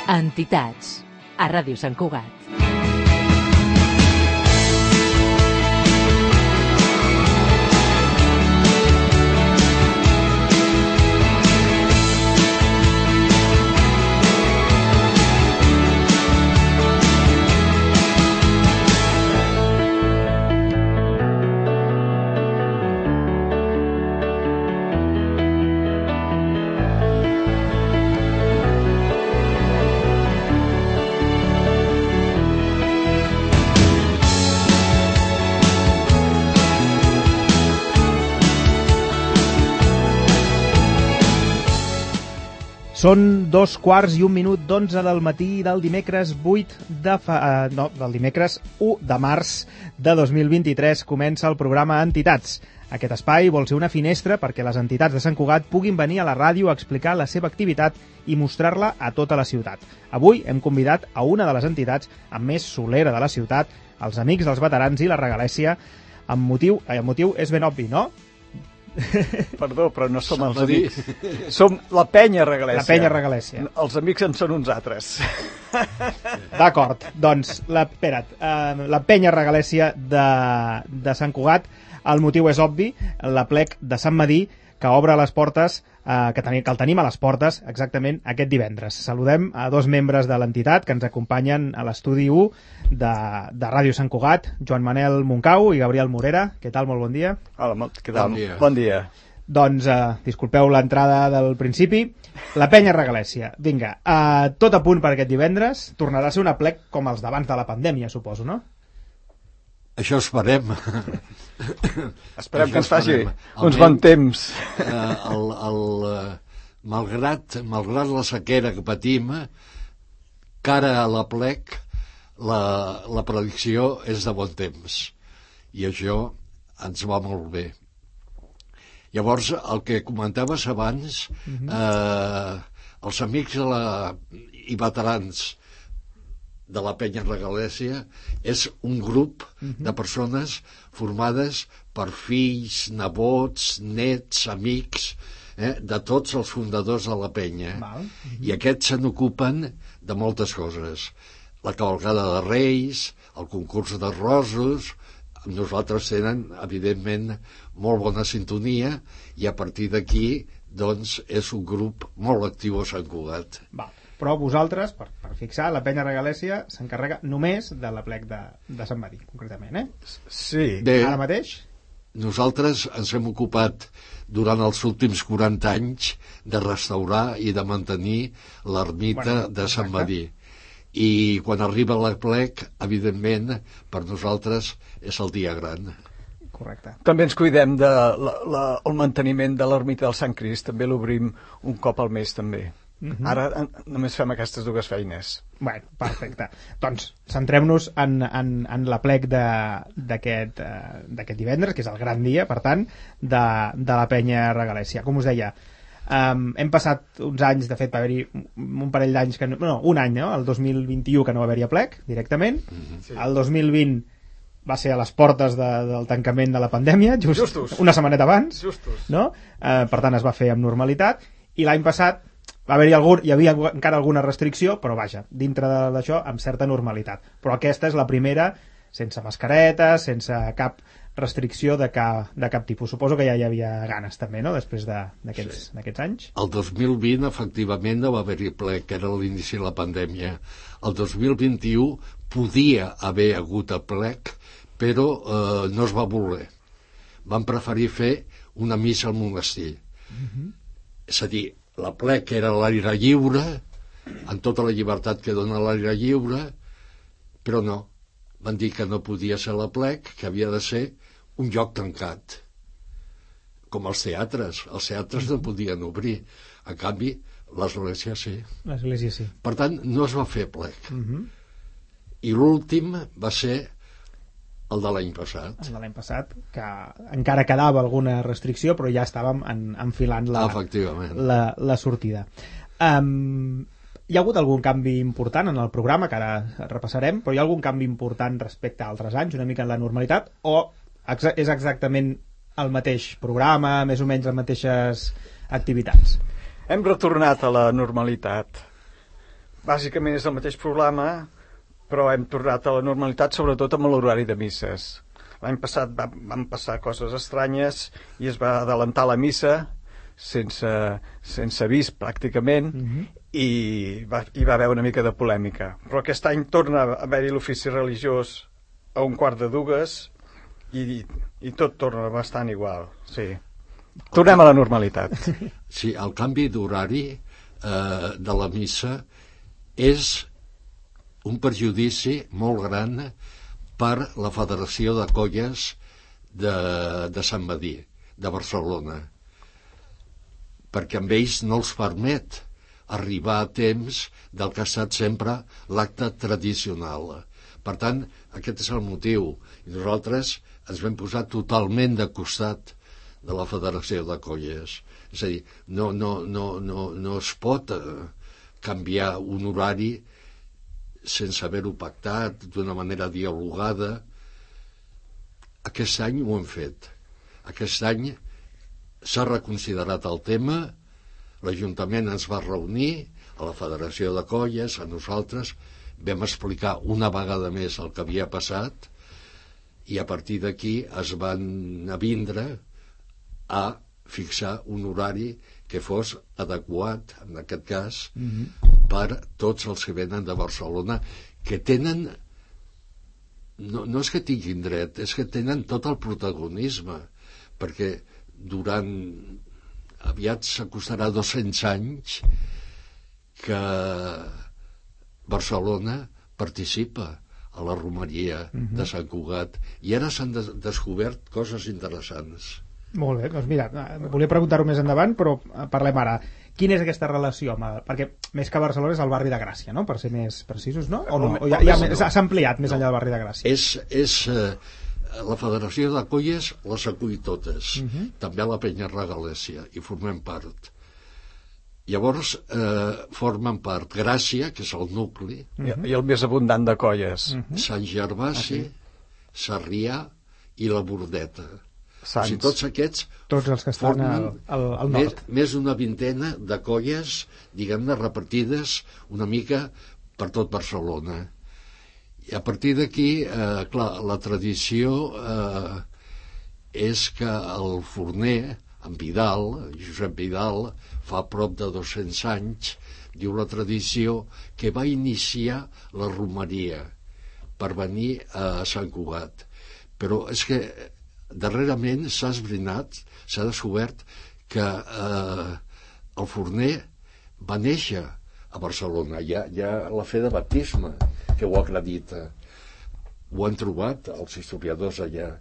Entitats, a Ràdio Sant Cugat. Són 2:15 del matí del dimecres 1 de març de 2023. Comença el programa Entitats. Aquest espai vol ser una finestra perquè les entitats de Sant Cugat puguin venir a la ràdio a explicar la seva activitat i mostrar-la a tota la ciutat. Avui hem convidat a una de les entitats amb més solera de la ciutat, els Amics dels Veterans i la Regalèssia, el motiu és ben obvi, no? Perdó, però no som els amics. Som la penya Regalèssia. La penya Regalèssia. Els amics en són uns altres. D'acord, doncs, la penya Regalèssia de Sant Cugat, el motiu és obvi, l'aplec de Sant Medir, que obre les portes, que el tenim a les portes exactament aquest divendres. Saludem a dos membres de l'entitat que ens acompanyen a l'estudi 1 de Ràdio Sant Cugat, Joan Manel Moncau i Gabriel Morera. Què tal? Molt bon dia. Hola, què tal? Bon dia. Doncs, disculpeu l'entrada del principi. La penya Regalèssia. Vinga, tot a punt per aquest divendres. Tornarà a ser un aplec com els d'abans de la pandèmia, suposo, no? Això esperem. Esperem que ens faci uns bons temps. Malgrat la sequera que patim, cara a l'aplec, la predicció és de bon temps. I això ens va molt bé. Llavors, el que comentaves abans, els amics i veterans de la penya Regalèssia és un grup de persones formades per fills, nebots, nets, amics, de tots els fundadors de la penya. I aquests se n'ocupen de moltes coses. La cavalcada de Reis, el concurs d'arrossos. Nosaltres tenen, evidentment, molt bona sintonia i a partir d'aquí, doncs, és un grup molt actiu a Sant Cugat. Però vosaltres, per fixar, la penya Regalèssia s'encarrega només de l'aplec de Sant Medir, concretament, Sí. Ara mateix? Nosaltres ens hem ocupat durant els últims 40 anys de restaurar i de mantenir l'ermita de Sant Medir. I quan arriba l'aplec, evidentment, per nosaltres és el dia gran. Correcte. També ens cuidem del manteniment de l'ermita del Sant Crist, també l'obrim un cop al mes, també. Ara només fem aquestes dues feines. Bueno, perfecte. Doncs centrem-nos en l'aplec d'aquest divendres, que és el gran dia, per tant, de la penya Regalèssia. Com us deia, hem passat uns anys, de fet va haver-hi un parell d'anys, un any, no? El 2021 que no va haver-hi aplec directament, el 2020 va ser a les portes del tancament de la pandèmia, just una setmaneta abans, no? Per tant es va fer amb normalitat, i l'any passat hi havia encara alguna restricció, però vaja, dintre d'això amb certa normalitat. Però aquesta és la primera sense mascaretes, sense cap restricció de cap tipus. Suposo que ja hi havia ganes també, no?, després d'aquests anys. El 2020 efectivament no va haver-hi plec, que era l'inici de la pandèmia. El 2021 podia haver hagut aplec, però no es va voler. Van preferir fer una missa al monestir. És a dir, l'aplec era a l'aire lliure, amb tota la llibertat que dona l'aire lliure, però no. Van dir que no podia ser l'aplec, que havia de ser un lloc tancat. Com els teatres. Els teatres no podien obrir. En canvi, l'església sí. L'església sí. Per tant, no es va fer plec. I l'últim va ser el de l'any passat. El de l'any passat, que encara quedava alguna restricció, però ja estàvem enfilant la sortida. Hi ha hagut algun canvi important en el programa, que ara repassarem, però hi ha algun canvi important respecte a altres anys, una mica en la normalitat, o és exactament el mateix programa, més o menys les mateixes activitats? Hem retornat a la normalitat. bàsicament és el mateix problema, però hem tornat a la normalitat, sobretot amb l'horari de misses. L'any passat van passar coses estranyes i es va adelantar la missa sense avís pràcticament, i va haver una mica de polèmica. Però aquest any torna a haver-hi l'ofici religiós a 1:15 i tot torna bastant igual, sí. Tornem a la normalitat. Sí, el canvi d'horari de la missa és un perjudici molt gran per la Federació de Colles de Sant Medir, de Barcelona, perquè amb ells no els permet arribar a temps del que ha estat sempre l'acte tradicional. Per tant, aquest és el motiu. I nosaltres ens vam posar totalment de costat de la Federació de Colles. És a dir, no es pot canviar un horari sense haver-ho pactat d'una manera dialogada. Aquest any ho hem fet. Aquest any s'ha reconsiderat el tema, l'Ajuntament ens va reunir, a la Federació de Colles, a nosaltres, vam explicar una vegada més el que havia passat, i a partir d'aquí es van avindre a fixar un horari que fos adequat, en aquest cas, per tots els que venen de Barcelona, que tenen, no és que tinguin dret, és que tenen tot el protagonisme, perquè aviat s'acostarà 200 anys que Barcelona participa a la romeria de Sant Cugat, i ara s'han descobert coses interessants. Molt bé, doncs mira, volia preguntar-ho més endavant, però parlem ara. Quina és aquesta relació? Perquè més que Barcelona és el barri de Gràcia, no? Per ser més precisos, no? O no? O s'ha ampliat més enllà del barri de Gràcia? La Federació de Colles les acull totes, també a la Penya Regalèsia, i formem part. Llavors formen part Gràcia, que és el nucli, i el més abundant de Colles, Sant Gervasi, Sarrià i la Bordeta. Sants. O sigui, tots aquests tots els que estan al nord. Més d'una vintena de colles, diguem-ne, repartides una mica per tot Barcelona. I a partir d'aquí, clar, la tradició és que el forner, en Vidal, Josep Vidal, fa prop de 200 anys, diu la tradició, que va iniciar la romeria per venir a Sant Cugat. Però és que darrerament s'ha esbrinat, s'ha descobert que el forner va néixer a Barcelona. Hi ha la fe de baptisme que ho acredita. Ho han trobat els historiadors allà,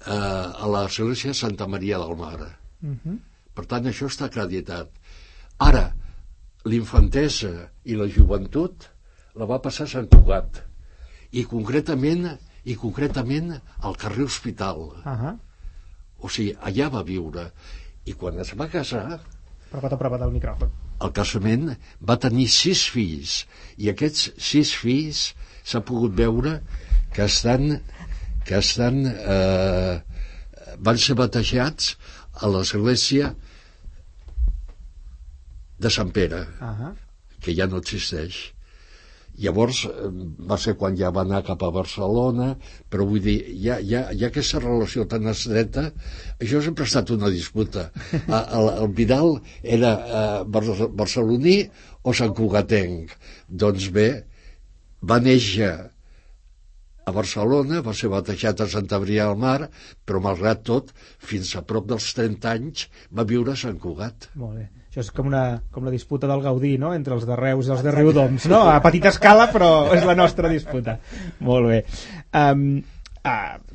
a l'església Santa Maria del Mar. Per tant, això està acreditat. Ara, l'infantesa i la joventut la va passar a Sant Cugat, i concretament al carrer Hospital. O sigui, allà va viure, i quan es va casar, Apropa't al micròfon. al casament va tenir 6 fills, i aquests 6 fills s'ha pogut veure que van ser batejats a l'església de Sant Pere, que ja no existeix. Llavors va ser quan ja va anar cap a Barcelona, però vull dir, hi ha aquesta relació tan estreta. Això sempre ha estat una disputa. El Vidal era barceloní o santcugatenc? Doncs bé, va néixer a Barcelona, va ser batejat a Santa Maria del Mar, però malgrat tot, fins a prop dels 30 anys va viure a Sant Cugat. Molt bé. Això és com la disputa del Gaudí, no?, entre els de Reus i els de Riudoms, no? A petita escala, però és la nostra disputa. Molt bé.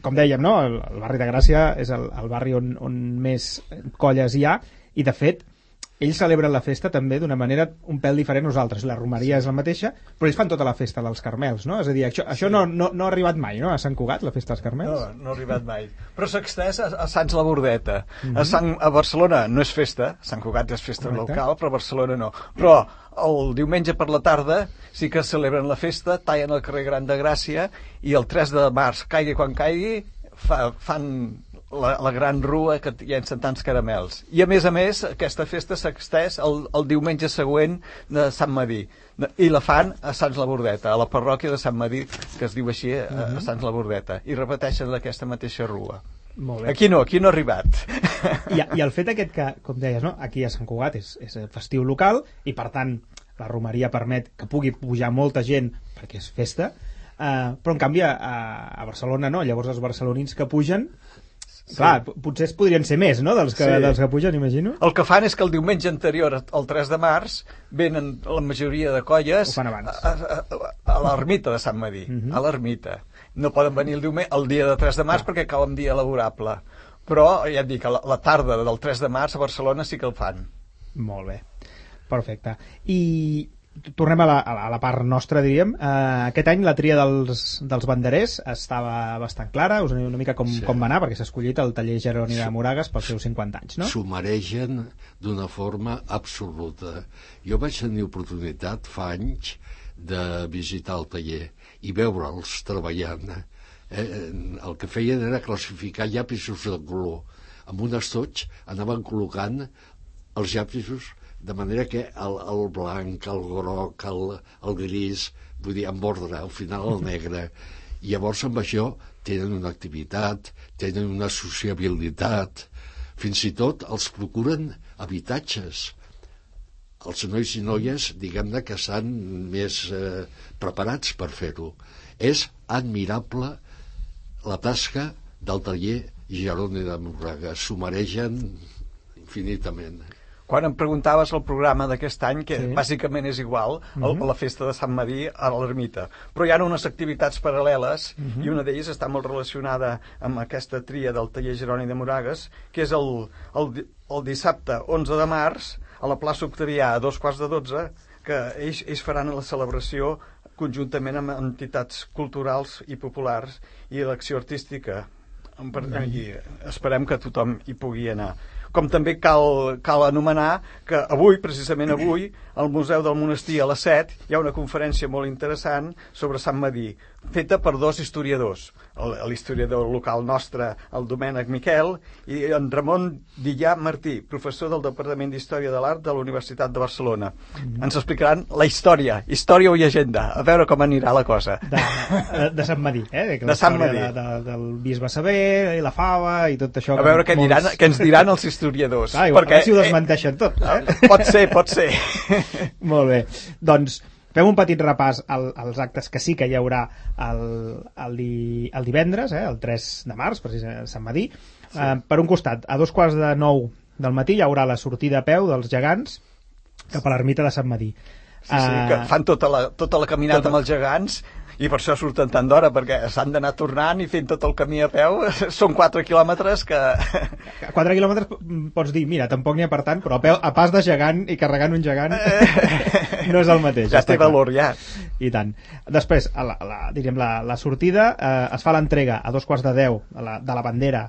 Com dèiem, no?, el barri de Gràcia és el barri on més colles hi ha, i de fet ells celebren la festa també d'una manera un pèl diferent a nosaltres. La romeria és la mateixa, però ells fan tota la festa dels Carmels, no? És a dir, això no ha arribat mai, no?, a Sant Cugat, la festa dels Carmels? No ha arribat mai. Però s'ha extès a Sants la Bordeta. A Barcelona no és festa, Sant Cugat és festa local, però a Barcelona no. Però el diumenge per la tarda sí que celebren la festa, tallen el carrer Gran de Gràcia, i el 3 de març, caigui quan caigui, fan la gran rua que llencen tants caramels. I a més, aquesta festa s'ha extès el diumenge següent de Sant Madí. I la fan a Sants la Bordeta, a la parròquia de Sant Madí, que es diu així, a Sants la Bordeta. I repeteixen aquesta mateixa rua. Molt bé. Aquí no ha arribat. I el fet aquest que, com deies, no? Aquí a Sant Cugat és festiu local i, per tant, la romeria permet que pugui pujar molta gent perquè és festa, però en canvi a Barcelona no. Llavors els barcelonins que pugen, clar, potser podrien ser més, no?, dels que pugen, imagino. El que fan és que el diumenge anterior al 3 de març venen la majoria de colles a l'ermita de Sant Madí, a l'ermita. No poden venir el dia de 3 de març perquè cau un dia laborable. Però, ja et dic, a la tarda del 3 de març a Barcelona sí que el fan. Molt bé, perfecte. I tornem a la part nostra, diríem. Aquest any la tria dels banderers estava bastant clara. Us aneu una mica com va anar, perquè s'ha escollit el taller Jeroni de Moragas pels seus 50 anys, no? S'ho mereixen d'una forma absoluta. Jo vaig tenir oportunitat fa anys de visitar el taller i veure'ls treballant. El que feien era classificar llapisos de color. Amb un estoig anaven col·locant els llapisos de manera que el blanc, el groc, el gris, vull dir, amb ordre, al final el negre. I llavors amb això tenen una activitat, tenen una sociabilitat, fins i tot els procuren habitatges. Els nois i noies, diguem-ne, que estan més preparats per fer-ho. És admirable la tasca del taller Jeroni de Moragas. S'ho mereixen infinitament. Quan em preguntaves el programa d'aquest any, que bàsicament és igual, la festa de Sant Madí a l'ermita, però hi ha unes activitats paral·leles i una d'elles està molt relacionada amb aquesta tria del taller Jeroni de Moragas, que és el dissabte 11 de març a la plaça Octavià a 2:15, que ells faran la celebració conjuntament amb entitats culturals i populars i l'acció artística. I esperem que tothom hi pugui anar. Com també cal anomenar que avui, precisament avui, al Museu del Monestir a les 7 hi ha una conferència molt interessant sobre Sant Madí, feta per dos historiadors, l'historiador local nostre, el Domènec Miquel, i en Ramon Dillà Martí, professor del Departament d'Història de l'Art de la Universitat de Barcelona. Ens explicaran la història o llegenda, a veure com anirà la cosa. De Sant Madí, de Sant Madí. Del bisbe Sever i la fava i tot això. A veure què ens diran els historiadors. A veure si ho desmenteixen tot. Pot ser. Molt bé. Doncs fem un petit repàs als actes que sí que hi haurà el divendres, el 3 de març, precisament a Sant Madí. Per un costat, a 8:45 del matí hi haurà la sortida a peu dels gegants cap a l'ermita de Sant Madí. Que fan tota la caminata amb els gegants, i per això surten tant d'hora, perquè s'han d'anar tornant i fent tot el camí a peu. Són 4 quilòmetres que... 4 quilòmetres pots dir, mira, tampoc n'hi ha per tant, però a pas de gegant i carregant un gegant no és el mateix. Ja té valor, ja. I tant. Després, diríem, la sortida, es fa l'entrega a 9:45 de la bandera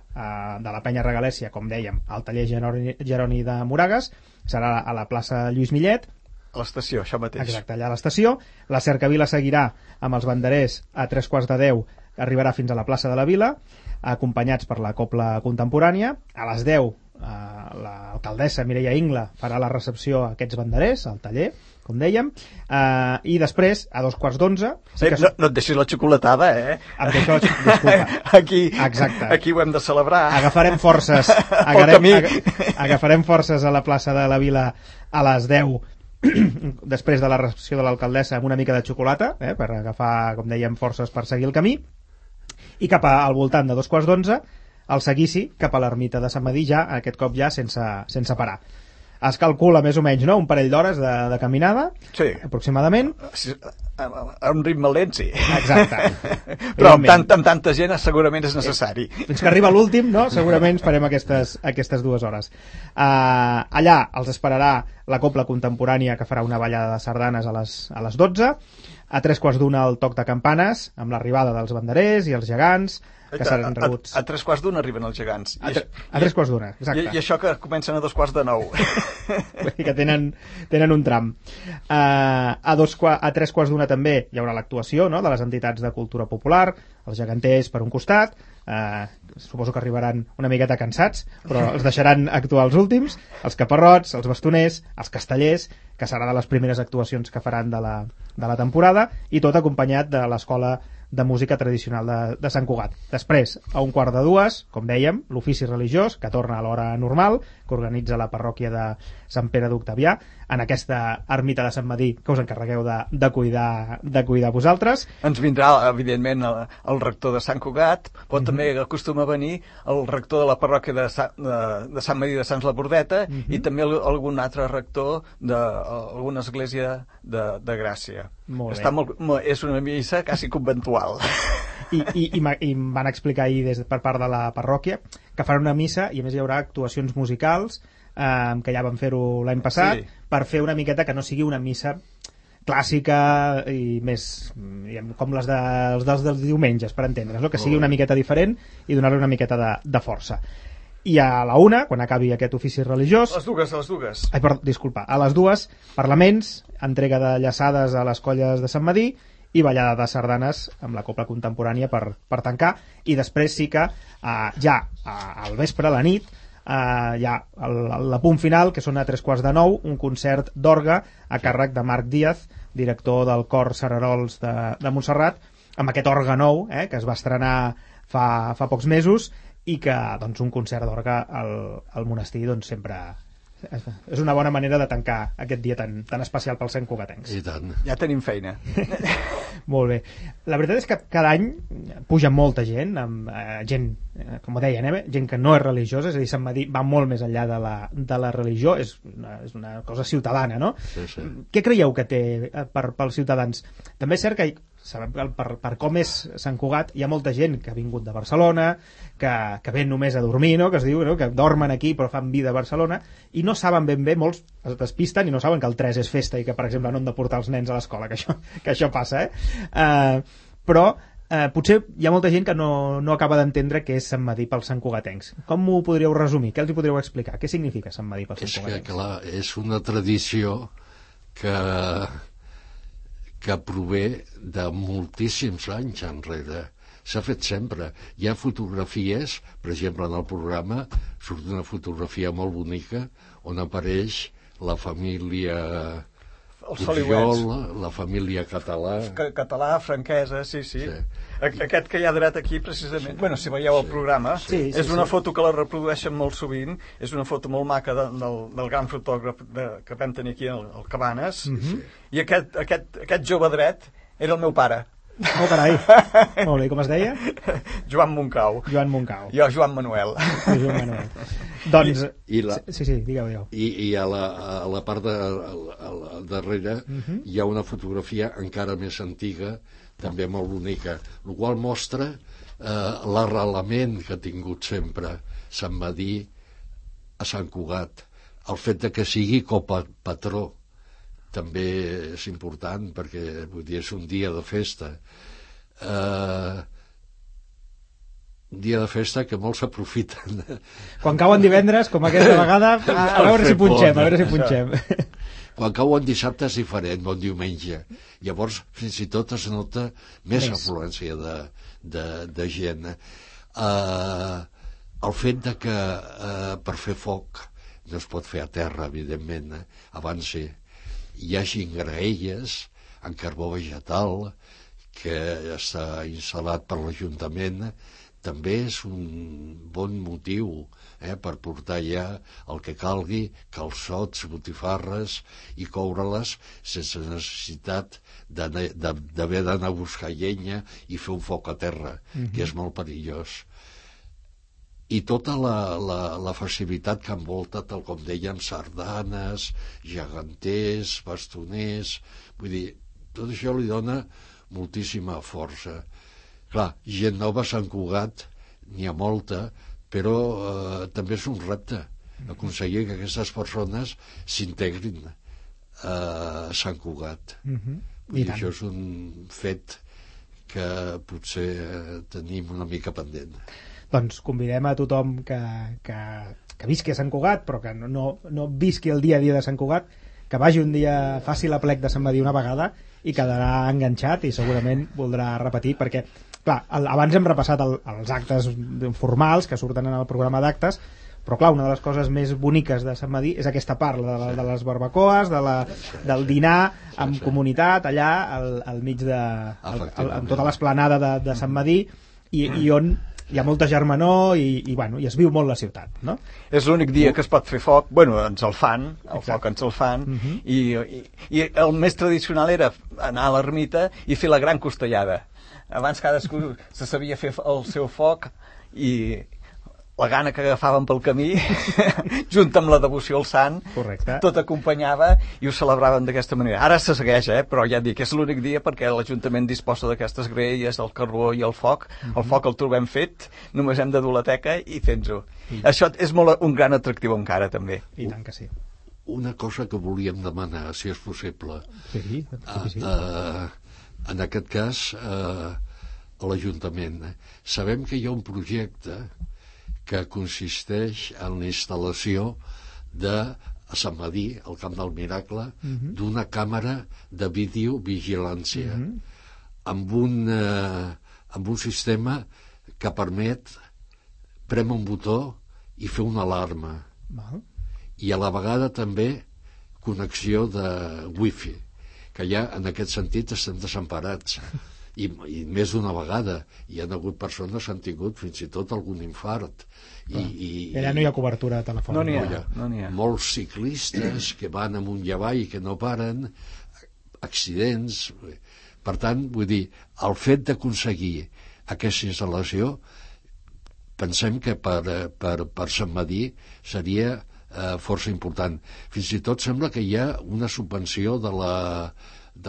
de la Penya Regalèssia, com dèiem, al taller Jeroni de Moragas, serà a la plaça Lluís Millet. A l'estació, això mateix. Exacte, allà a l'estació. La cercavila seguirà amb els banderers a 9:45, arribarà fins a la plaça de la Vila, acompanyats per la cobla contemporània. A les 10, l'alcaldessa Mireia Ingla farà la recepció a aquests banderers, al taller, com dèiem, i després, a 2:15... No et deixis la xocolatada, Em deixo la xocolatada. Disculpa. Aquí ho hem de celebrar. Agafarem forces a la plaça de la Vila a les 10, després de la recepció de l'alcaldessa, amb una mica de xocolata, per agafar, com dèiem, forces per seguir el camí, i cap al voltant de 2:15 el seguici cap a l'ermita de Sant Madí, ja aquest cop ja sense parar. Es calcula més o menys, no?, un parell d'hores de caminada, sí, aproximadament. A un ritme lent, sí. Exacte. Però amb tanta gent segurament és necessari. Fins que arriba l'últim, no?, segurament farem aquestes 2 hores. Allà els esperarà la cobla contemporània, que farà una ballada de sardanes a les 12. A 3:15 el toc de campanes, amb l'arribada dels banderers i els gegants, que seran rebuts. A 3:15 arriben els gegants. A 3:15, exacte. I això que comencen a 8:45. Que tenen un tram. A 3:15 també hi haurà l'actuació, no?, de les entitats de cultura popular, els geganters per un costat, suposo que arribaran una miqueta cansats, però els deixaran actuar els últims, els caparrots, els bastoners, els castellers, que serà de les primeres actuacions que faran de la temporada, i tot acompanyat de l'Escola de Música Tradicional de Sant Cugat. Després, a 1:45, com dèiem, l'ofici religiós, que torna a l'hora normal, que organitza la parròquia de Sant Pere d'Octavià, en aquesta ermita de Sant Madí, que us encarregueu de cuidar vosaltres. Ens vindrà, evidentment, el rector de Sant Cugat, però també acostuma a venir el rector de la parròquia de Sant Madí de Sants la Bordeta i també algun altre rector d'alguna església de Gràcia. Molt bé. És una missa quasi conventual. I em van explicar ahir per part de la parròquia que faran una missa i a més hi haurà actuacions musicals, que ja van fer-ho l'any passat, per fer una miqueta que no sigui una missa clàssica i més com les dels diumenges, per entendre's, no? Que sigui una miqueta diferent i donar-li una miqueta de força. I a la 1, quan acabi aquest ofici religiós... A les dues. Ai, disculpa, a les 2, parlaments, entrega de llaçades a les colles de Sant Madí i ballada de sardanes amb la copla contemporània per tancar, i després sí que ja al vespre, a la nit, ja el punt final, que són a 3:45, un concert d'orgue a càrrec de Marc Díaz, director del cor Cerarols de Montserrat, amb aquest orgue nou, que es va estrenar fa pocs mesos, i que doncs, un concert d'orgue al monestir doncs, sempre és una bona manera de tancar aquest dia tan especial pels santcugatencs. I tant. Ja tenim feina. Molt bé. La veritat és que cada any puja molta gent, gent, com deien, gent que no és religiosa, és a dir, Sant Madí va molt més enllà de la religió, és una cosa ciutadana, no? Sí. Què creieu que té pels ciutadans? També és cert que sabem que per com és Sant Cugat hi ha molta gent que ha vingut de Barcelona, que ven només a dormir, no? Que es diu, no? Que dormen aquí però fan vida a Barcelona, i no saben ben bé, molts es despisten i no saben que el 3 és festa i que, per exemple, no han de portar els nens a l'escola, que això passa, però potser hi ha molta gent que no acaba d'entendre què és Sant Madí pels santcugatencs. Com ho podríeu resumir? Què els hi podríeu explicar? Què significa Sant Madí pels santcugatencs? És que, clar, és una tradició que prové de moltíssims anys enrere. S'ha fet sempre. Hi ha fotografies, per exemple, en el programa surt una fotografia molt bonica on apareix la família Pujol, la família Català. Català, Franquesa, sí. Aquest que hi ha dret aquí, precisament, si veieu el programa, és una foto que la reprodueixen molt sovint, és una foto molt maca del gran fotògraf que vam tenir aquí al Cabanes, i aquest jove dret era el meu pare. Oh, carai. Molt bé, com es deia? Joan Moncau. Jo, Joan Manuel. Doncs... Sí, digueu. I a la part darrere hi ha una fotografia encara més antiga, també molt bonica, el qual mostra l'arrelament que ha tingut sempre Sant Madí a Sant Cugat. El fet de que sigui copatró també és important, perquè vull dir, és un dia de festa. Un dia de festa que molts s'aprofiten. Quan cauen divendres, com aquesta vegada, a veure si punxem. Quan cauen dissabte és diferent, bon diumenge. Llavors, fins i tot es nota més afluència de gent. El fet de que per fer foc no es pot fer a terra, evidentment, abans sí. Hi hagi graelles en carbó vegetal que està instal·lat per l'Ajuntament, també és un bon motiu per portar ja el que calgui, calçots, botifarres, i coure-les sense necessitat d'haver d'anar a buscar llenya i fer un foc a terra, que és molt perillós. I tota la festivitat que envolta, tal com dèiem, sardanes, geganters, bastoners, vull dir, tot això li dona moltíssima força. Clar, gent nova a Sant Cugat n'hi ha molta, però també és un repte aconseguir que aquestes persones s'integrin a Sant Cugat. I això és un fet que potser tenim una mica pendent. Doncs convidem a tothom que visqui a Sant Cugat, però que no visqui el dia a dia de Sant Cugat, que vagi un dia, faci l'aplec de Sant Medir una vegada i quedarà enganxat i segurament voldrà repetir, perquè clar, abans hem repassat els actes formals que surten en el programa d'actes, però clar, una de les coses més boniques de Sant Medir és aquesta part de les barbacoes, del dinar amb comunitat allà al mig en tota l'esplanada de Sant Medir i on hi ha molta germanor i es viu molt la ciutat, no? És l'únic dia que es pot fer foc, bueno, ens el fan, foc ens el fan, i el més tradicional era anar a l'ermita i fer la gran costellada. Abans cadascú se sabia fer el seu foc i la gana que agafaven pel camí, junt amb la devoció al sant, tot acompanyava i ho celebraven d'aquesta manera. Ara se segueix, però ja dic, és l'únic dia perquè l'Ajuntament disposa d'aquestes graelles, del carbó i el foc. El foc el trobem fet, només hem de dur la teca i fent-ho. Això és un gran atractiu encara, també. I tant que sí. Una cosa que volíem demanar, si és possible. Sí. En aquest cas, a l'Ajuntament. Sabem que hi ha un projecte que consisteix en la instal·lació a Sant Medir, al Camp del Miracle, d'una càmera de videovigilància amb un sistema que permet prémer un botó i fer una alarma. I a la vegada també connexió de wifi, que ja en aquest sentit estem desemparats. I més d'una vegada hi ha hagut persones que han tingut fins i tot algun infart i allà no hi ha cobertura telefònica. No n'hi ha. Molts ciclistes que van amunt i avall i que no paren, accidents. Per tant, vull dir, el fet d'aconseguir aquesta instal·lació pensem que per Sant Medir seria força important. Fins i tot sembla que hi ha una subvenció de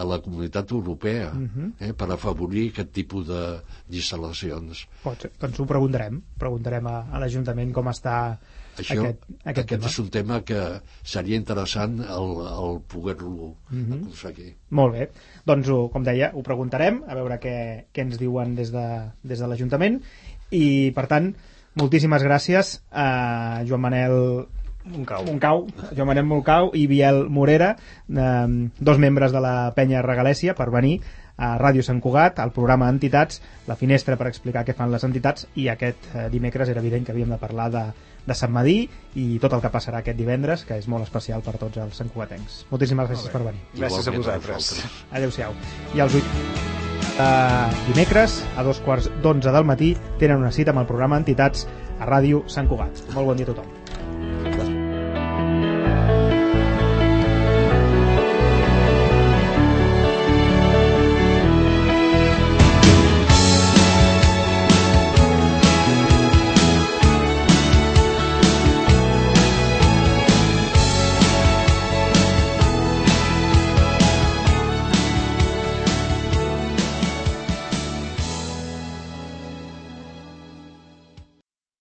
la Comunitat Europea per afavorir aquest tipus d'instal·lacions. Pot ser. Doncs ho preguntarem a l'Ajuntament com està aquest tema. Aquest és un tema que seria interessant el poder-lo aconseguir. Molt bé, doncs com deia, ho preguntarem a veure què ens diuen des de l'Ajuntament i per tant, moltíssimes gràcies a Joan Manel Joan Manel Moncau i Biel Morera, dos membres de la Penya Regalèssia, per venir a Ràdio Sant Cugat, al programa Entitats, la finestra per explicar què fan les entitats, i aquest dimecres era evident que havíem de parlar de Sant Medir i tot el que passarà aquest divendres, que és molt especial per tots els santcugatencs. Moltíssimes gràcies per venir. Gràcies a vosaltres. Adéu-siau. I els dimecres a 2:15 del matí tenen una cita amb el programa Entitats a Ràdio Sant Cugat. Molt bon dia a tothom.